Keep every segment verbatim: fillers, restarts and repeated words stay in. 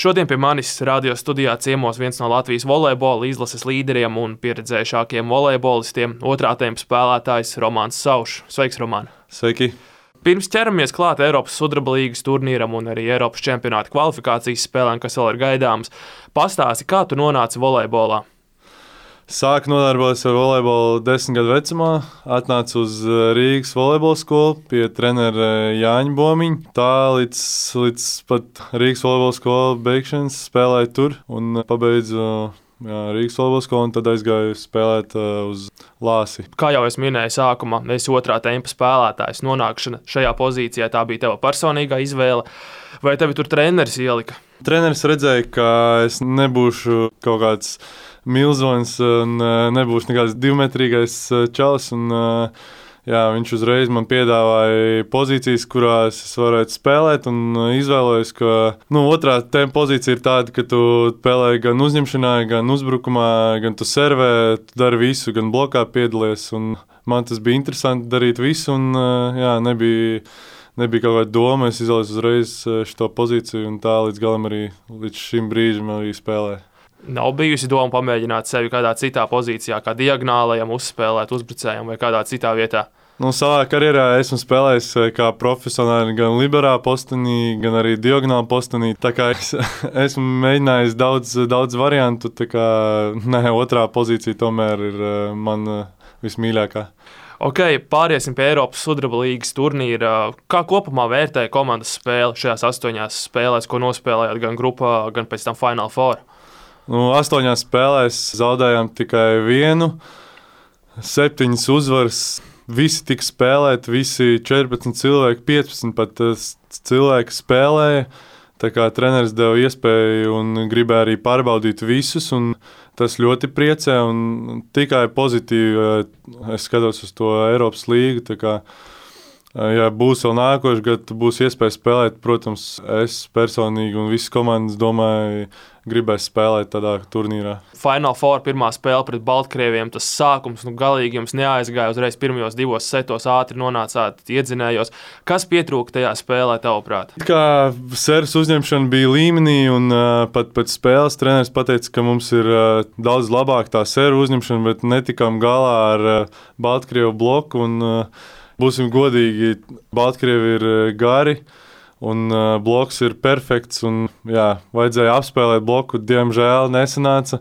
Šodien pie manis radio studijā ciemos viens no Latvijas volejbola izlases līderiem un pieredzējušākiem volejbolistiem, otrā tempa spēlētājs Romāns Saušs. Sveiks, Romān! Sveiki! Pirms ķeramies klāt Eiropas sudraba līgas turnīram un arī Eiropas čempionāta kvalifikācijas spēlēm, kas vēl ir gaidāmas, pastāsti, kā tu nonāci volejbolā? Sāku nodarboties ar volejbolu desmit gadu vecumā, atnācu uz Rīgas volejbola skolu pie trenera Jāņa Bomiņa. Tā līdz, līdz pat Rīgas volejbola skolu beigšanas spēlēju tur un pabeidzu jā, Rīgas volejbola skolu un tad aizgāju spēlēt uh, uz Lāsi. Kā jau es minēju sākumā, esi otrā tempa spēlētājs. Nonākšana šajā pozīcijā tā bija tava personīgā izvēle, vai tevi tur treneris ielika? Treneris redzēja, ka es nebūšu kaut kāds milzonis un nebūs nekāds divmetrīgais čalis. Un, jā, viņš uzreiz man piedāvāja pozīcijas, kurās es varētu spēlēt. Un izvēlējos, ka nu, otrā tempa pozīcija ir tāda, ka tu spēlē gan uzņemšanā, gan uzbrukumā, gan tu servē, tu dari visu, gan blokā piedalies. Un man tas bija interesanti darīt visu, un jā, nebija, nebija kaut kāda doma. Es izvēlējos uzreiz šo pozīciju, un tā līdz galam arī līdz šim brīžam arī spēlēju. Nav bijusi doma pamēģināt sevi kādā citā pozīcijā, kā diagonālajam, uzspēlēt uzbrucējam vai kādā citā vietā? Nu, savā karjerā esmu spēlējis kā profesionāli gan liberālā postenī, gan arī diagonālā postenī. Tā kā es esmu mēģinājis daudz, daudz variantu, tā kā ne, otrā pozīcija tomēr ir man vismīļākā. Ok, pāriesim pie Eiropas sudraba līgas turnīra. Kā kopumā vērtēja komandas spēli šajās astoņās spēlēs, ko nospēlējāt gan grupā, gan pēc tam Final Four? Nu, astoņās spēlēs zaudējām tikai vienu, septiņas uzvaras. Visi tika spēlēti, visi četrpadsmit cilvēki, piecpadsmit pat cilvēki spēlēja. Tā kā treneris deva iespēju un gribēja arī pārbaudīt visus, un tas ļoti priecē un tikai pozitīvi. Es skatos uz to Eiropas līgu. Tā kā, ja būs vēl nākošais gads, būs iespēja spēlēt, protams, es personīgi un visas komandas domāju, gribēs spēlēt tādā turnīrā. Final Four pirmā spēle pret Baltkrieviem, tas sākums, nu galīgi jums neaizgāja uzreiz pirmajos divos setos, ātri nonācāt, iedzinējos. Kas pietrūka tajā spēlē, tavuprāt? Kā servis uzņemšana bija līmenī, un uh, pat pēc spēles treneris pateica, ka mums ir uh, daudz labāk tā servis uzņemšana, bet netikām galā ar uh, Baltkrievu bloku, un uh, būsim godīgi, Baltkrievi ir uh, gari. Un uh, bloks ir perfekts, un jā, vajadzēja apspēlēt bloku, diemžēl nesanāca.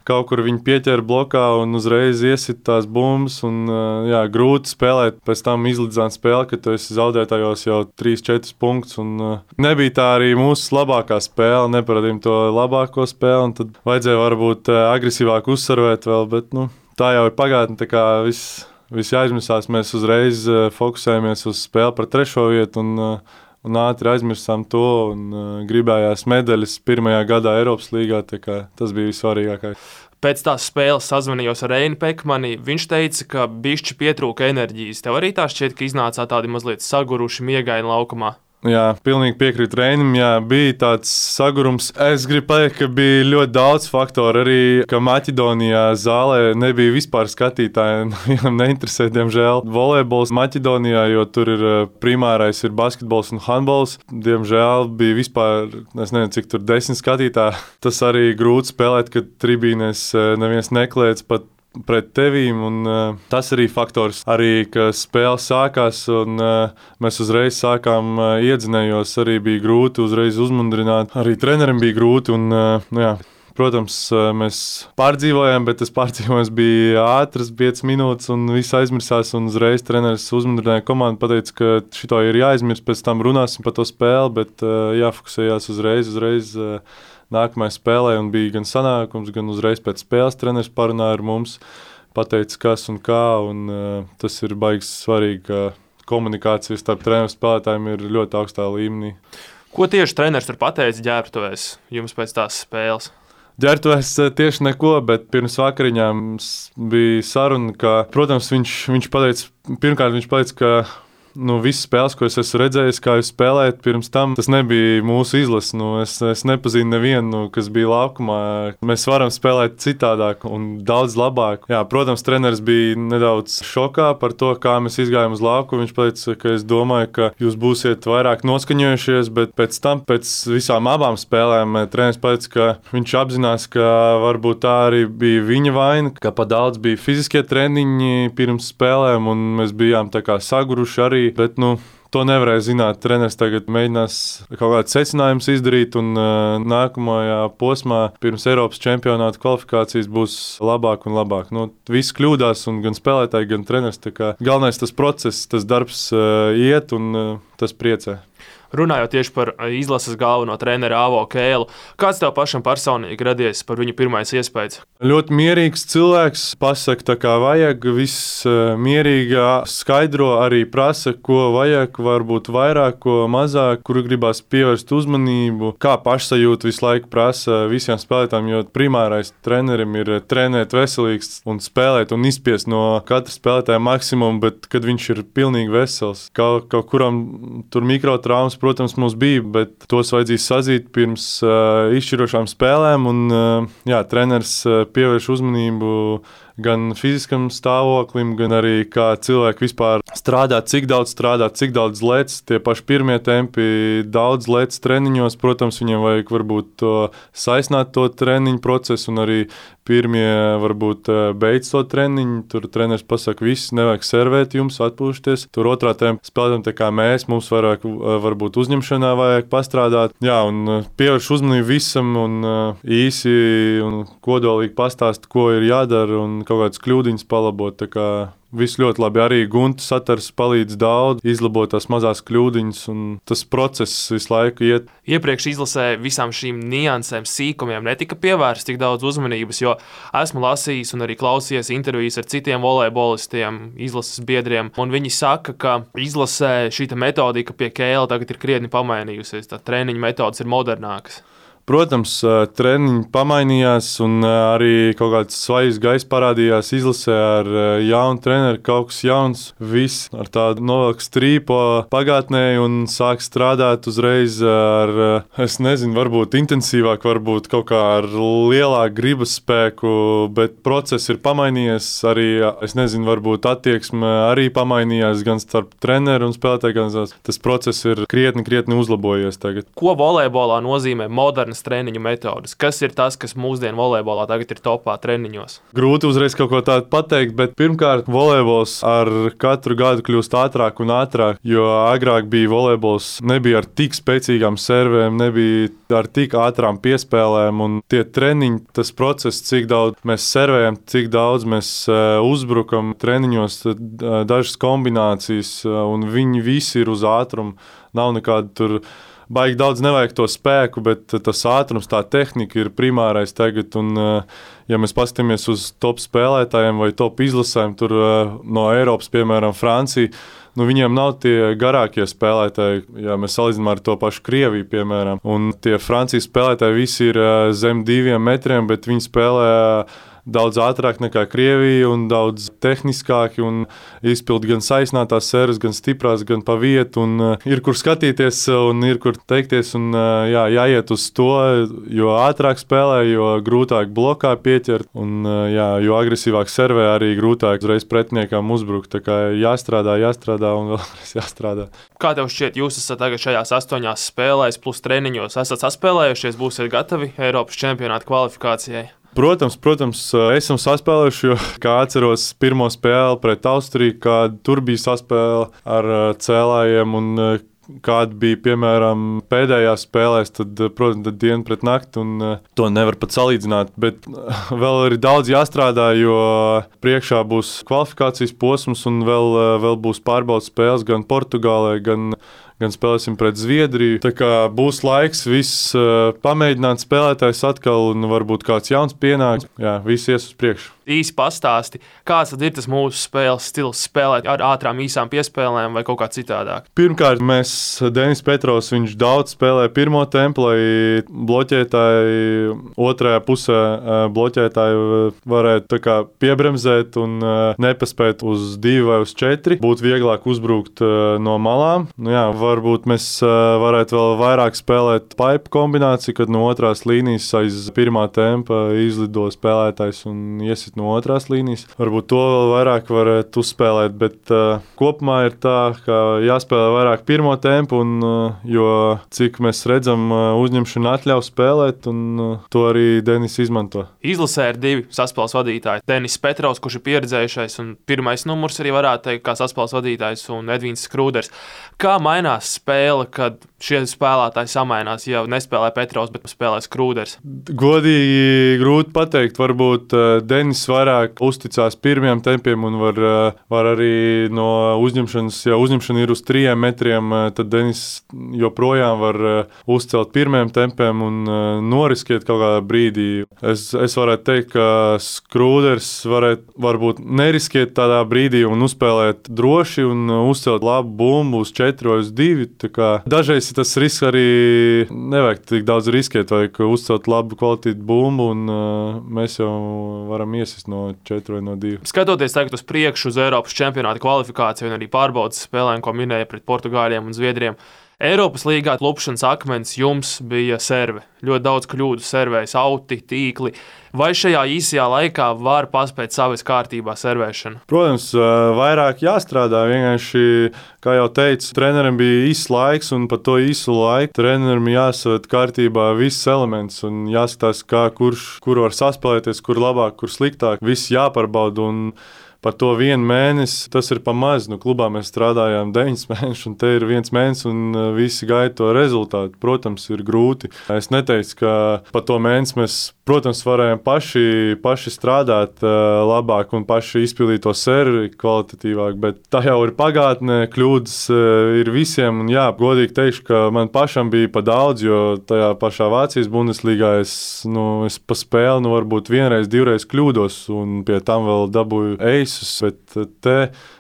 Kaut kur viņi pieķēra blokā un uzreiz iesit tās bumbas, un uh, jā, grūti spēlēt. Pēc tam izlīdzināt spēli, kad tu esi zaudētājos jau trīs četri punktus, un uh, nebija tā arī mūsu labākā spēle, neparadījām to labāko spēli, un tad vajadzēja varbūt uh, agresīvāk uzsarvēt vēl, bet nu, tā jau ir pagātne, tā kā viss, viss jāizmisās. Mēs uzreiz uh, fokusējamies uz spēli par trešo vietu, un uh, Un ātri aizmirsām to un uh, gribējās medaļas pirmajā gadā Eiropas līgā, tā kā tas bija vissvarīgākais. Pēc tās spēles sazvanījos ar Reini Pekmani. Viņš teica, ka bišķi pietrūka enerģijas. Tev arī tā šķiet, ka iznācāt tādi mazliet saguruši, miegaini laukumā? Jā, pilnīgi piekrītu Reinim. Jā, bija tāds sagurums. Es gribu pateikt, ka bija ļoti daudz faktoru. Arī, ka Maķedonijā zālē nebija vispār skatītāji. Viņam neinteresē, diemžēl, volejbols Maķedonijā, jo tur ir primārais ir basketbols un handbols. Diemžēl bija vispār, es nezinu, cik tur desmit skatītāji. Tas arī grūti spēlēt, kad tribīnēs neviens nekliedz pat pret tevīm, un uh, tas arī faktors, arī, ka spēle sākās, un uh, mēs uzreiz sākām uh, iedzinējos, arī bija grūti uzreiz uzmundrināt, arī trenerim bija grūti, un uh, jā, protams, uh, mēs pārdzīvojām, bet tas pārdzīvojums bija ātrs, piecas minūtes, un viss aizmirsās, un uzreiz treneris uzmundrināja komandu, pateica, ka šito ir jāizmirst, pēc tam runāsim par to spēli, bet uh, jāfokusējās uzreiz, uzreiz uh, nākamajā spēlē, un bija gan sanākums, gan uzreiz pēc spēles treneris parunāja ar mums, pateica, kas un kā, un uh, tas ir baigi svarīgi, ka komunikācija starp treneru spēlētājiem ir ļoti augstā līmenī. Ko tieši treneris tur pateica ģērbtuvēs jums pēc tās spēles? Ģērbtuvēs tieši neko, bet pirms vakariņām bija saruna, ka, protams, viņš, viņš pateica, pirmkārt viņš pateica, ka nu, visas spēles, ko es esmu redzējis, kā jūs spēlējat pirms tam, tas nebija mūsu izlase. Nu, es, es nepazinu nevienu, nu, kas bija laukumā. Mēs varam spēlēt citādāk un daudz labāk. Jā, protams, treneris bija nedaudz šokā par to, kā mēs izgājām uz lauku. Viņš teica, ka es domāju, ka jūs būsiet vairāk noskaņojušies, bet pēc tam, pēc visām abām spēlēm, treneris teica, ka viņš apzinās, ka varbūt tā arī bija viņa vaina, ka pa daudz bija fiziskie treniņi pirms spēlēm, un mēs bijām tā kā saguruši arī. Bet, nu, to nevarēja zināt. Treneris tagad mēģinās kaut kādus secinājumus izdarīt, un uh, nākamajā posmā pirms Eiropas čempionāta kvalifikācijas būs labāk un labāk. Nu, viss kļūdās, un gan spēlētāji, gan treneris. Galvenais tas process, tas darbs uh, iet, un uh, tas priecē. Runājot tieši par izlases galveno treneru Avo Kēlu, kāds tev pašam personīgi radies par viņu pirmais iespējas? Ļoti mierīgs cilvēks, pasaka tā kā vajag, viss mierīgi skaidro, arī prasa, ko vajag, varbūt vairāk, ko mazāk, kur gribās pievērst uzmanību, kā pašsajūta visu laiku prasa visiem spēlētājiem, jo primārais trenerim ir trenēt veselīgs un spēlēt un izspiest no katra spēlētāja maksimumu, bet kad viņš ir pilnīgi vesels, kaut, kaut kuram tur mikrotraumas, protams, mums bija, bet tos vajadzīs sazīt pirms uh, izšķirošām spēlēm, un uh, jā, treneris uh, pievērš uzmanību gan fiziskam stāvoklim, gan arī kā cilvēki vispār strādā, cik daudz strādā, cik daudz lec, tie paši pirmie tempi, daudz lec treniņos, protams, viņiem vajag varbūt to saisnāt to treniņu procesu, un arī pirmie varbūt beidz to treniņu, tur treneris pasaka, viss, nevajag servēt jums, atpūšties, tur otrā tempa spēlētam tā kā mēs, mums vairāk varbūt uzņemšanā vajag pastrādāt, jā, un pievērš uzmanību visam, un īsi un kodolīgi pastāst, ko ir jādara, un kaut kādas kļūdiņas palabot, tā kā viss ļoti labi. Arī Gunta satars palīdz daudz, izlabot tās mazās kļūdiņas, un tas process visu laiku iet. Iepriekš izlasē visām šīm niansēm, sīkumiem netika pievērsts tik daudz uzmanības, jo esmu lasījis un arī klausījies intervijas ar citiem volejbolistiem, izlases biedriem, un viņi saka, ka izlasē šīta metodika pie Kēla tagad ir krietni pamainījusies, tā treniņa metodas ir modernākas. Protams, treniņi pamainījās, un arī kaut kāds svajas gaiss parādījās izlasē ar jaunu treneru, kaut kas jauns. Viss ar tādu novelk strīpo pagātnē un sāk strādāt uzreiz ar, es nezinu, varbūt intensīvāk, varbūt kaut kā ar lielāku gribas spēku, bet process ir pamainījies. Arī, es nezinu, varbūt attieksme arī pamainījās gan starp treneru un spēlētāju, gan tas process ir krietni, krietni uzlabojies tagad. Ko volejbolā nozīmē moderna treniņu metodas? Kas ir tas, kas mūsdienu volejbolā tagad ir topā treniņos? Grūti uzreiz kaut ko tādu pateikt, bet pirmkārt volejbols ar katru gadu kļūst ātrāk un ātrāk, jo agrāk bija volejbols, nebija ar tik spēcīgām servēm, nebija ar tik ātrām piespēlēm, un tie treniņi, tas process, cik daudz mēs servējam, cik daudz mēs uzbrukam treniņos, dažas kombinācijas, un viņi visi ir uz ātrumu, nav nekāda tur baigi daudz nevajag to spēku, bet tas ātrums, tā tehnika ir primārais tagad, un ja mēs paskatāmies uz top spēlētājiem vai top izlasēm, tur no Eiropas, piemēram, Francija, nu viņiem nav tie garākie spēlētāji, ja mēs salīdzinām ar to pašu Krieviju, piemēram, un tie Francijas spēlētāji visi ir zem diviem metriem, bet viņi spēlē daudz ātrāk nekā Krievija un daudz tehniskāki un izpild gan saisnātās servas, gan stiprās, gan pa vietu, un uh, ir kur skatīties un ir kur teikties, un uh, jā, jāiet uz to, jo ātrāk spēlē, jo grūtāk blokā pieķert, un uh, jā, jo agresīvāk servē, arī grūtāk uzreiz pretiniekam uzbrukt, tā kā jāstrādā, jāstrādā un vēlreiz jāstrādā. Kā tev šķiet, jūs esat tagad šajās astoņās spēlēs plus treniņos, esat saspēlējušies, būsiet gatavi Eiropas čempionāta kvalifikācijai? Protams, protams, esam saspēlējuši, jo, kā atceros pirmo spēli pret Austriju, kad tur bija saspēle ar cēlājiem, un kāda bija, piemēram, pēdējās spēlēs, tad, protams, tad diena pret nakti, un to nevar pat salīdzināt. Bet vēl ir daudz jāstrādā, jo priekšā būs kvalifikācijas posms, un vēl, vēl būs pārbaudas spēles gan Portugālē, gan gan spēlēsim pret Zviedriju. Tā kā būs laiks viss uh, pamēģināt spēlētājs atkal un varbūt kāds jauns pienāks. Jā, viss ies uz priekšu. Īsi pastāsti, kāds tad ir tas mūsu spēles stils, spēlēt ar ātrām īsām piespēlēm vai kaut kā citādāk? Pirmkārt, mēs Denis Petrovs, viņš daudz spēlē pirmo tempu, lai bloķētāji otrajā pusē bloķētāji varētu tā kā piebremzēt un nepaspēt uz divi vai uz četri. Būtu vieglāk uzbrukt no malām. Nu jā, varbūt mēs varētu vēl vairāk spēlēt paipu kombināciju, kad no otrās līnijas aiz pirmā tempa izlido spēlētājs un iesit no otrās līnijas. Varbūt to vēl vairāk varētu uzspēlēt, bet uh, kopumā ir tā, ka jāspēlē vairāk pirmo tempu, un, uh, jo cik mēs redzam, uh, uzņemšana atļauj spēlēt, un uh, to arī Denis izmanto. Izlasē ir divi saspēles vadītāji. Denis Petrovs, kurš ir pieredzējušais un pirmais numurs arī varētu teikt kā saspēles vadītājs, un Edvīns Skrūders. Kā mainās spēle, kad šie spēlētāji samainās, ja nespēlē Petrovs, bet spēlē Skrūders? Godīgi grūti pateikt, varbūt uh, Denis vairāk uzticās pirmiem tempiem un var, var arī no uzņemšanas, ja uzņemšana ir uz trījiem metriem, tad Denis joprojām var uzcelt pirmiem tempiem un noriskiet kaut kādā brīdī. Es, es varētu teikt, ka Skrūders varētu varbūt neriskiet tādā brīdī un uzspēlēt droši un uzcelt labu bumbu uz četri vai uz divi. Dažreiz tas risks arī nevajag tik daudz riskiet, vajag uzcelt labu kvalitāti bumbu un uh, mēs jau varam iesist no četri vai no divi. Skatoties tagad uz priekšu uz Eiropas čempionāta kvalifikāciju un arī pārbaudas spēlēm, ko minēja pret Portugāļiem un Zviedriem, Eiropas līgā klupšanas akmens jums bija serve. Ļoti daudz kļūdu servējas, auti, tīkli. Vai šajā īsajā laikā var paspēt savas kārtībā servēšanu? Protams, vairāk jāstrādā. Vienkārši, kā jau teicu, trenerim bija īsts laiks, un par to īsu laiku trenerim jāsaved kārtībā viss elements un jāskatās, kā kurš, kur var saspēlēties, kur labāk, kur sliktāk. Viss jāpārbauda. Un par to vienu mēnesi tas ir pa maz. Nu, klubā mēs strādājām deviņus mēnešus, un te ir viens mēnesis, un visi gaida to rezultātu. Protams, ir grūti. Es neteicu, ka pa to mēnesi mēs, protams, varējām paši, paši strādāt uh, labāk un paši izpildīt to servi kvalitatīvāk, bet tā jau ir pagātne, kļūdas uh, ir visiem. Un jā, godīgi teikšu, ka man pašam bija pa daudz, jo tajā pašā Vācijas Bundeslīgā es, nu, es pa spēli, nu, varbūt vienreiz, divreiz kļūdos, un pie tam vēl dabūju eis. Bet te,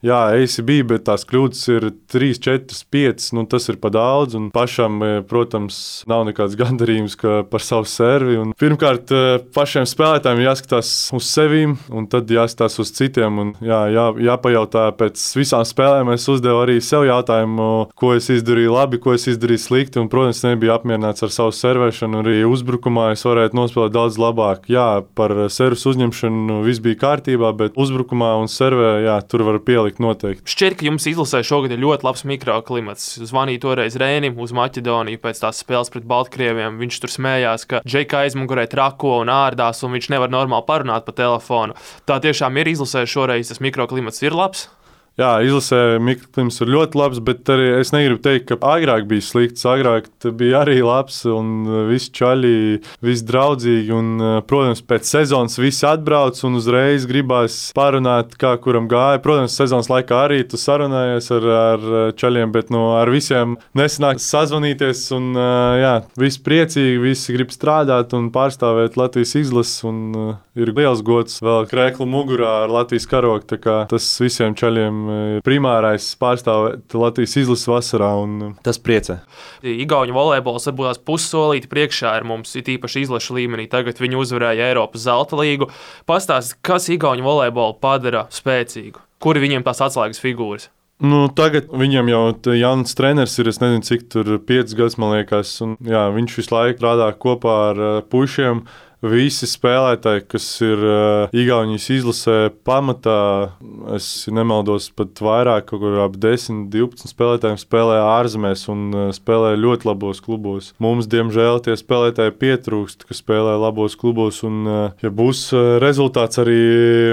jā, eisi bija, bet tās kļūdas ir trīs, četras, piecas, nu tas ir pa daudz, un pašam, protams, nav nekāds gandarījums par savu servi. Un pirmkārt, pašiem spēlētājiem jāskatās uz sevīm, un tad jāskatās uz citiem, un jā, jā, jāpajautā pēc visām spēlēm. Es uzdevu arī sev jautājumu, ko es izdarīju labi, ko es izdarīju slikti, un, protams, nebija apmierināts ar savu servēšanu, arī uzbrukumā es varētu nospēlēt daudz labāk. Jā, par servus uzņemšanu viss bija kārtībā, bet uzbrukumā un servē, jā, tur var pielikt noteikti. Šķiet, ka jums izlasē šogad ir ļoti labs mikroklimats. Zvanīju toreiz Rēnim uz Maķedoniju pēc tās spēles pret Baltkrieviem. Viņš tur smējās, ka Džeka aizmugurē trako un ārdās, un viņš nevar normāli parunāt pa telefonu. Tā tiešām ir izlasē šoreiz, tas mikroklimats ir labs? Jā, izlasē mikroklimats ir ļoti labs, bet arī es negribu teikt, ka agrāk bija slikts. Agrāk bija arī labs un visi čaļi, visi draudzīgi. Un, protams, pēc sezonas visi atbrauc un uzreiz gribās parunāt, kā kuram gāja. Protams, sezonas laikā arī tu sarunājies ar, ar čaļiem, bet nu, ar visiem nesanāk sazvanīties. Un, jā, visi priecīgi, visi grib strādāt un pārstāvēt Latvijas izlases. Un ir liels gods vēl krēklu mugurā ar Latvijas karogu. Tā kā tas visiem čaļiem primārais pārstāvēt Latvijas izlases vasarā, un tas priecē. Igauņu volejbols varbūt tās pussolīti priekšā ir mums, it īpaši izlašu līmenī. Tagad viņi uzvarēja Eiropas zelta līgu. Pastāst, kas Igauņu volejbolu padara spēcīgu? Kuri viņiem tās atslēgas figūras? Nu, tagad viņam jau jauns treneris ir, es nezinu, cik tur piecas gadus, man liekas, un jā, viņš visu laiku strādā kopā ar uh, pušiem. Visi spēlētāji, kas ir uh, Igaunijas izlasē pamatā, es nemaldos pat vairāk, kaut kur ap desmit, divpadsmit spēlētājiem spēlē ārzemēs un uh, spēlē ļoti labos klubos. Mums, diemžēl, tie spēlētāji pietrūkst, kas spēlē labos klubos, un uh, ja būs uh, rezultāts, arī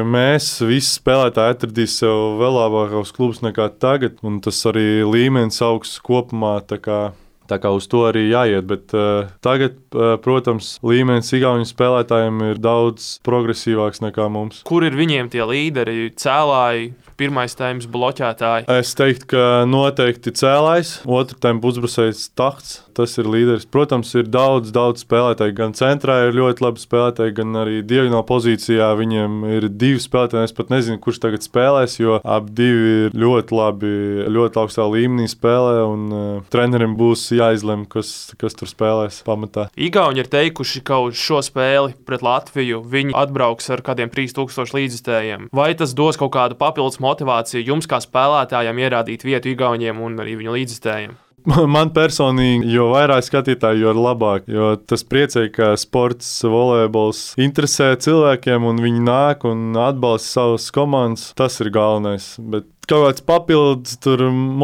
mēs, visi spēlētāji atradīs sev vēl labākos klubus nekā tagad, un tas arī līmenis augsts kopumā, tā kā Tā kā uz to arī jāiet, bet uh, tagad, uh, protams, līmenis Igauņu spēlētājiem ir daudz progresīvāks nekā mums. Kur ir viņiem tie līderi, cēlāji, pirmais tēmas bloķētāji? Es teiktu, ka noteikti cēlājs, otru tempu uzbrucējs Tahts. Tas ir līderis. Protams, ir daudz, daudz spēlētāju. Gan centrā ir ļoti labi spēlētāji, gan arī diagonālā pozīcijā viņiem ir divi spēlētāji. Es pat nezinu, kurš tagad spēlēs, jo abi divi ir ļoti labi, ļoti augstā līmenī spēlē. Un, uh, trenerim būs jāizlem, kas, kas tur spēlēs pamatā. Igauni ir teikuši, ka uz šo spēli pret Latviju viņi atbrauks ar kādiem trīs tūkstoši līdzstājiem. Vai tas dos kaut kādu papildus motivāciju jums, kā spēlētājiem, ierādīt vietu Igauniem un arī viņu līdzstājiem? Man personīgi, jo vairāk skatītāji, jo labāk. Jo tas priecē, ka sports, volejbols interesē cilvēkiem, un viņi nāk un atbalsta savas komandas. Tas ir galvenais. Bet kaut kāds papildus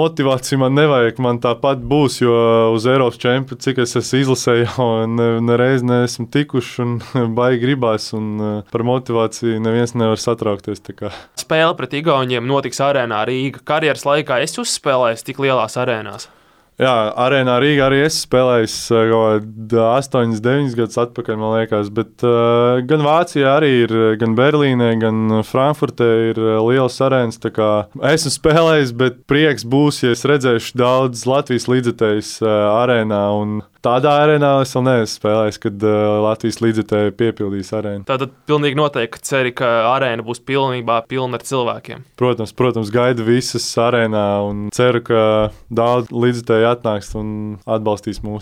motivācija man nevajag. Man tāpat būs, jo uz Eiropas čempionu, cik es esmu izlasējis, jau nereiz ne neesmu tikuši un baigi gribās. Un par motivāciju neviens nevar satraukties. Spēle pret Igauniem notiks arēnā Rīga. Karjeras laikā es uzspēlēju tik lielās arēnās. Jā, arēnā Rīgā arī es spēlēju astoņus, deviņus gadus atpakaļ, man liekas. Bet uh, gan Vācijā arī ir, gan Berlīnē, gan Frankfurtē ir liels arēnas. Esmu spēlējis, bet prieks būs, ja es redzēšu daudz Latvijas līdzekļus uh, arēnā. Tādā arēnā es vēl neesmu spēlējis, kad uh, Latvijas līdzekļi piepildīs arēnu. Tātad pilnīgi noteikti ceri, ka arēna būs pilnībā pilna ar cilvēkiem. Protams, protams, gaidu visas arēnā un ceru, ka daudz līdzekļu atnāks un atbalstīs mūs.